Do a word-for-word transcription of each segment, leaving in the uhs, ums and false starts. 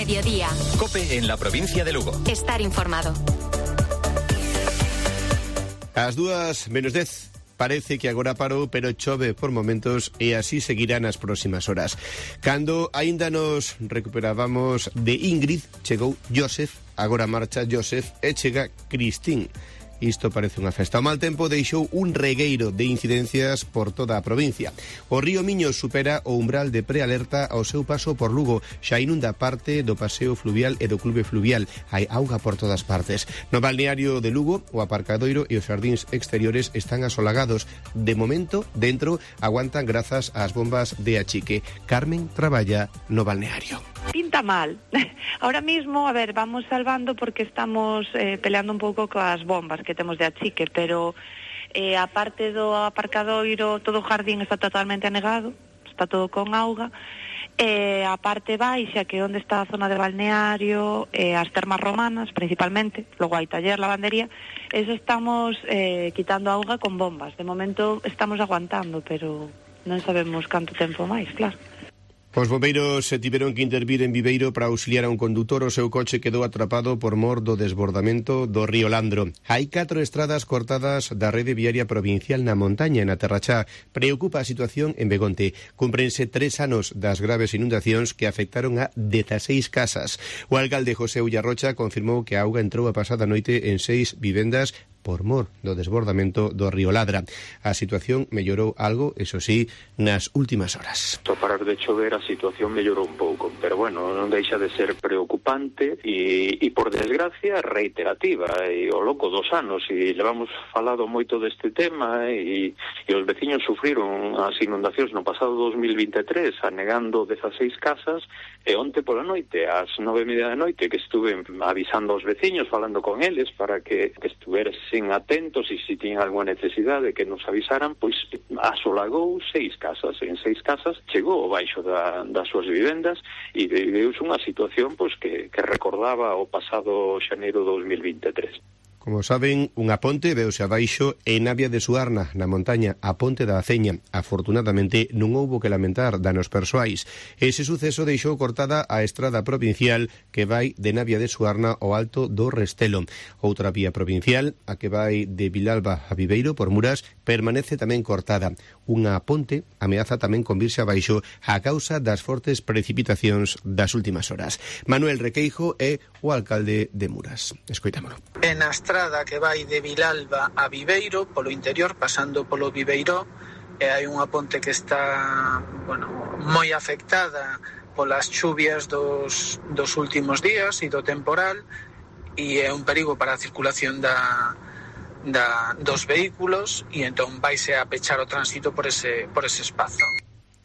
mediodía. COPE en la provincia de Lugo. Estar informado. As dúas menos dez. Parece que agora parou, pero chove por momentos e así seguirá nas próximas horas. Cando aínda nos recuperábamos de Ingrid, chegou Joseph, agora marcha Joseph e chega Cristín. Isto parece unha festa. O mal tempo deixou un regueiro de incidencias por toda a provincia. O río Miño supera o umbral de prealerta ao seu paso por Lugo. Xa inunda parte do paseo fluvial e do clube fluvial. Hai auga por todas partes. No balneario de Lugo, o aparcadoiro e os xardíns exteriores están asolagados. De momento, dentro, aguantan grazas ás bombas de achique. Carmen traballa no balneario. Pinta mal. Ahora mismo, a ver, vamos salvando porque estamos eh, peleando un pouco coas bombas que temos de achique, pero eh, a parte do aparcadoiro, todo o jardín está totalmente anegado, está todo con auga, e a parte baixa, que é onde está a zona de balneario, e as termas romanas, principalmente, logo hai taller, lavandería, eso estamos eh, quitando auga con bombas. De momento estamos aguantando, pero non sabemos canto tempo máis, claro. Os bombeiros se tiveron que intervir en Viveiro para auxiliar a un condutor. O seu coche quedou atrapado por mor do desbordamento do río Landro. Hai catro estradas cortadas da rede viaria provincial na montaña, na Terrachá. Preocupa a situación en Begonte. Cúmprense tres anos das graves inundacións que afectaron a dezaseis casas. O alcalde José Ullarrocha confirmou que a auga entrou a pasada noite en seis vivendas por mor do desbordamento do río Ladra. A situación mellorou algo, eso sí, nas últimas horas. Ao parar de chover a situación mellorou un pouco, pero bueno, non deixa de ser preocupante e, e por desgracia reiterativa, e o loco dos anos, e levamos falado moito deste tema, e, e os veciños sufriron as inundacións no pasado dos mil veintitrés, anegando dezaseis casas, e onte pola noite, ás nove e media da noite, que estuve avisando aos veciños, falando con eles, para que, que estuversen atentos e se tiñan alguna necesidade que nos avisaran, pois asolagou seis casas, en seis casas chegou ao baixo da, das súas vivendas e deuse unha situación pois que, que recordaba o pasado xaneiro dos mil veintitrés. Como saben, unha ponte veuse abaixo en Navia de Suarna, na montaña, a ponte da Aceña. Afortunadamente, non houbo que lamentar danos persoais. Ese suceso deixou cortada a estrada provincial que vai de Navia de Suarna ao Alto do Restelo. Outra vía provincial, a que vai de Vilalba a Viveiro por Muras, permanece tamén cortada. Unha ponte ameaza tamén con virse abaixo a causa das fortes precipitacións das últimas horas. Manuel Requeijo é o alcalde de Muras. Escoitámolo. En a estrada que vai de Vilalba a Viveiro, polo interior, pasando polo Viveiro, e hai unha ponte que está, bueno, moi afectada polas chuvias dos, dos últimos días e do temporal, e é un perigo para a circulación da, da, dos vehículos, e entón vaise a pechar o tránsito por ese, por ese espazo.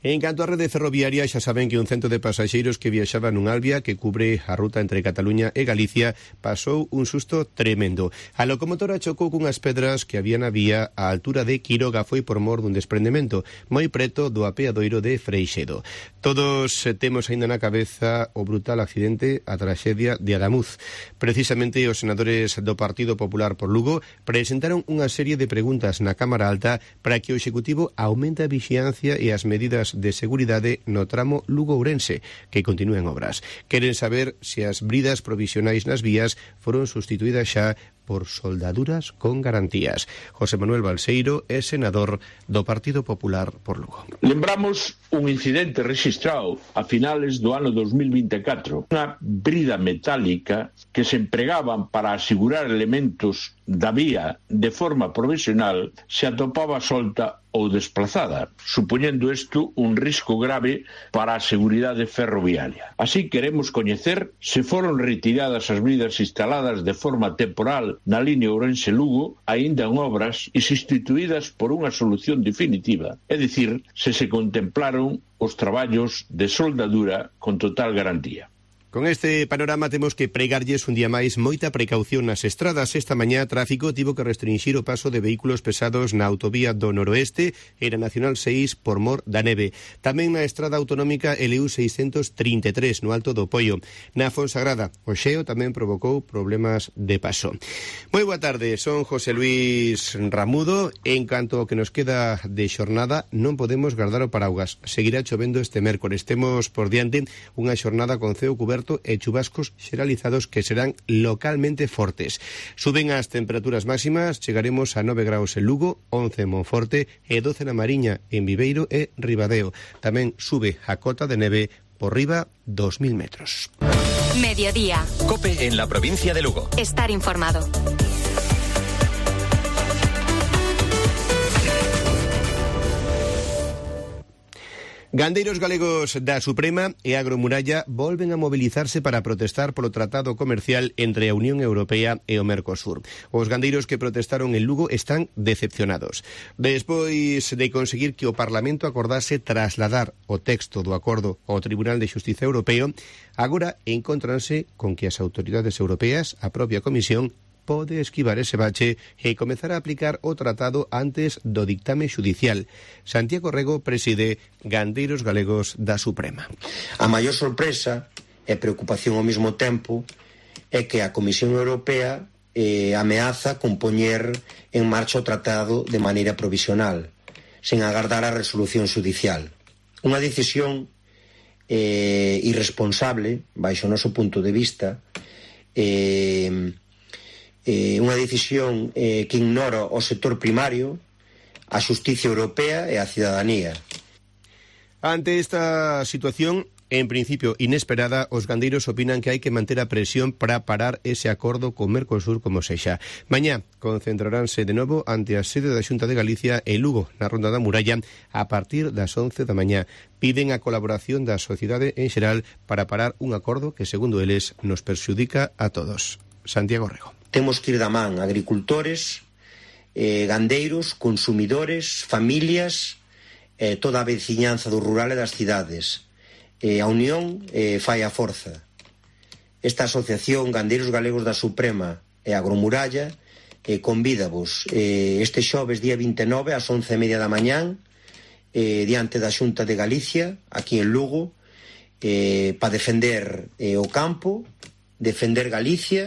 En canto á rede ferroviaria, xa saben que un cento de pasaxeiros que viaxaba nun Albia que cubre a ruta entre Cataluña e Galicia pasou un susto tremendo. A locomotora chocou cunhas pedras que había na vía á altura de Quiroga, foi por mor dun desprendemento moi preto do apeadoiro de Freixedo. Todos temos aínda na cabeza o brutal accidente, a traxedia de Adamuz. Precisamente os senadores do Partido Popular por Lugo presentaron unha serie de preguntas na Cámara Alta para que o Executivo aumente a vixiancia e as medidas de seguridade no tramo Lugo-Ourense, que continúen obras. Queren saber se as bridas provisionais nas vías foron sustituídas xa por soldaduras con garantías. José Manuel Balseiro é senador do Partido Popular por Lugo. Lembramos un incidente registrado a finales do ano dos mil veinticuatro. Unha brida metálica que se empregaban para asegurar elementos da vía de forma provisional se atopaba solta ou desplazada, supoñendo isto un risco grave para a seguridade ferroviaria. Así queremos coñecer se foron retiradas as bridas instaladas de forma temporal na línea Ourense-Lugo, aínda en obras, e substituídas por unha solución definitiva, é dicir, se se contemplaron os traballos de soldadura con total garantía. Con este panorama temos que pregarlles un día máis moita precaución nas estradas. Esta mañá tráfico tivo que restringir o paso de vehículos pesados na autovía do Noroeste e na Nacional seis por mor da neve. Tamén na estrada autonómica L U seiscentos trinta e tres no Alto do Poio. Na Fonsagrada, o xeo tamén provocou problemas de paso. Moi boa tarde, son José Luis Ramudo. En canto ao que nos queda de xornada, non podemos guardar o paraugas. Seguirá chovendo este mércores. Temos por diante unha xornada con ceo cuberto aberto e chubascos xeralizados que serán localmente fortes. Suben as temperaturas máximas, chegaremos a nove graus en Lugo, once en Monforte e doce na Mariña, en Viveiro e Ribadeo. Tamén sube a cota de neve por riba dos mil metros. Mediodía. COPE en la provincia de Lugo. Estar informado. Gandeiros galegos da Suprema e Agromuralla volven a mobilizarse para protestar polo tratado comercial entre a Unión Europea e o Mercosur. Os gandeiros que protestaron en Lugo están decepcionados. Despois de conseguir que o Parlamento acordase trasladar o texto do acordo ao Tribunal de Xustiza Europeo, agora encontranse con que as autoridades europeas, a propia Comisión, pode esquivar ese bache e comezar a aplicar o tratado antes do dictame xudicial. Santiago Rego preside Gandeiros Galegos da Suprema. A maior sorpresa e preocupación ao mesmo tempo é que a Comisión Europea eh, ameaza con poñer en marcha o tratado de maneira provisional, sen agardar a resolución xudicial. Unha decisión eh, irresponsable, baixo o noso punto de vista, eh, Eh, unha decisión eh, que ignora o sector primario, a xustiza europea e a cidadanía. Ante esta situación, en principio inesperada, os gandeiros opinan que hai que manter a presión para parar ese acordo con Mercosur como sexa. Mañá concentraránse de novo ante a sede da Xunta de Galicia e Lugo, na Ronda da Muralla, a partir das once da mañá. Piden a colaboración da sociedade en xeral para parar un acordo que, segundo eles, nos perxudica a todos. Santiago Rego. Temos que ir da man agricultores, eh, gandeiros, consumidores, familias, eh, toda a veciñanza do rural e das cidades. Eh, a unión eh, fai a forza. Esta asociación Gandeiros Galegos da Suprema e Agromuralla eh, convídavos eh, este xoves día vinte e nove ás once e media da mañán eh, diante da Xunta de Galicia, aquí en Lugo, eh, para defender eh, o campo, defender Galicia.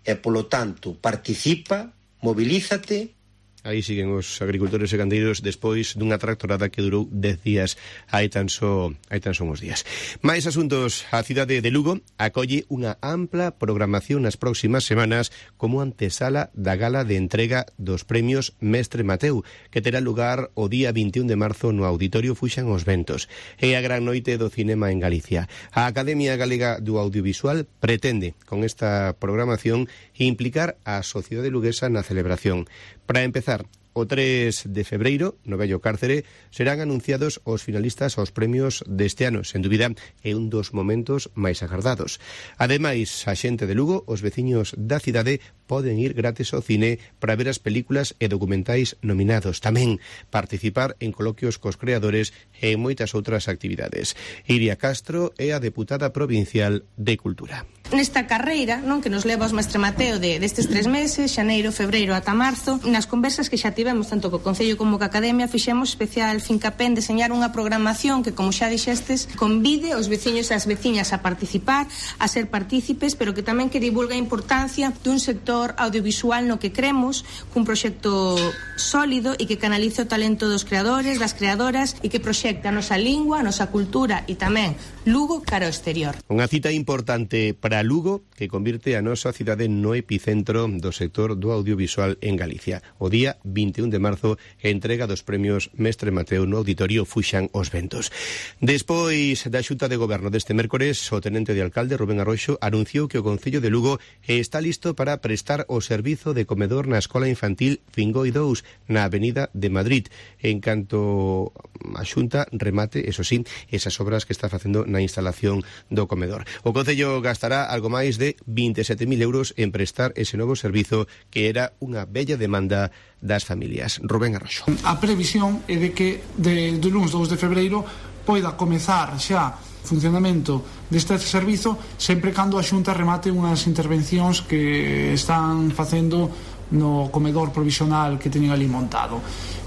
E, polo tanto, participa, mobilízate. Aí siguen os agricultores e gandeiros despois dunha tractorada que durou dez días, hai tan só hai tan só uns días. Mais asuntos, a cidade de Lugo acolle unha ampla programación nas próximas semanas como antesala da gala de entrega dos premios Mestre Mateu, que terá lugar o día vinte e un de marzo no Auditorio Fuxan os Ventos. É a gran noite do cinema en Galicia. A Academia Galega do Audiovisual pretende, con esta programación, implicar a sociedade luguesa na celebración. Para empezar, o tres de febreiro, no Vello Cárcere, serán anunciados os finalistas aos premios deste ano. Sen dúbida, é un dos momentos máis agardados. Ademais, a xente de Lugo, os veciños da cidade, poden ir gratis ao cine para ver as películas e documentais nominados. Tamén participar en coloquios cos creadores e en moitas outras actividades. Iria Castro é a deputada provincial de Cultura. Nesta carreira, non, que nos leva aos Mestre Mateo de, destes tres meses, xaneiro, febreiro ata marzo, nas conversas que xa tivemos tanto co Concello como co Academia, fixemos especial fincapé en deseñar unha programación que, como xa dixestes, convide os veciños e as veciñas a participar, a ser partícipes, pero que tamén que divulga a importancia dun sector audiovisual no que cremos, cun proxecto sólido e que canalice o talento dos creadores, das creadoras e que proxecta a nosa lingua, a nosa cultura e tamén Lugo cara ao exterior. Unha cita importante para Lugo que convirte a nosa cidade no epicentro do sector do audiovisual en Galicia. O día vinte e un de marzo, entrega dos premios Mestre Mateu no Auditorio Fuxan os Ventos. Despois da Xunta de Goberno deste mércores, o tenente de alcalde Rubén Arroxo anunciou que o Concello de Lugo está listo para prestar o servizo de comedor na Escola Infantil Fingoi dous na Avenida de Madrid, en canto a Xunta remate, eso sí, esas obras que está facendo na instalación do comedor. O Concello gastará algo máis de vinte e sete mil euros en prestar ese novo servizo que era unha bella demanda das familias. Rubén Arroxo. A previsión é de que de, do lunes dous de febreiro poida comezar xa funcionamento deste servizo sempre cando a Xunta remate unhas intervencións que están facendo no comedor provisional que teñen ali montado.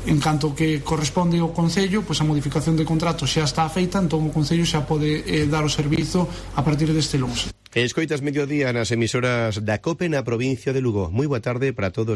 En canto que corresponde ao Concello, pois a modificación de contrato xa está feita, entón o Concello xa pode eh, dar o servizo a partir deste lunes. Escoitas Mediodía nas emisoras da COPE na provincia de Lugo. Moi boa tarde para todos.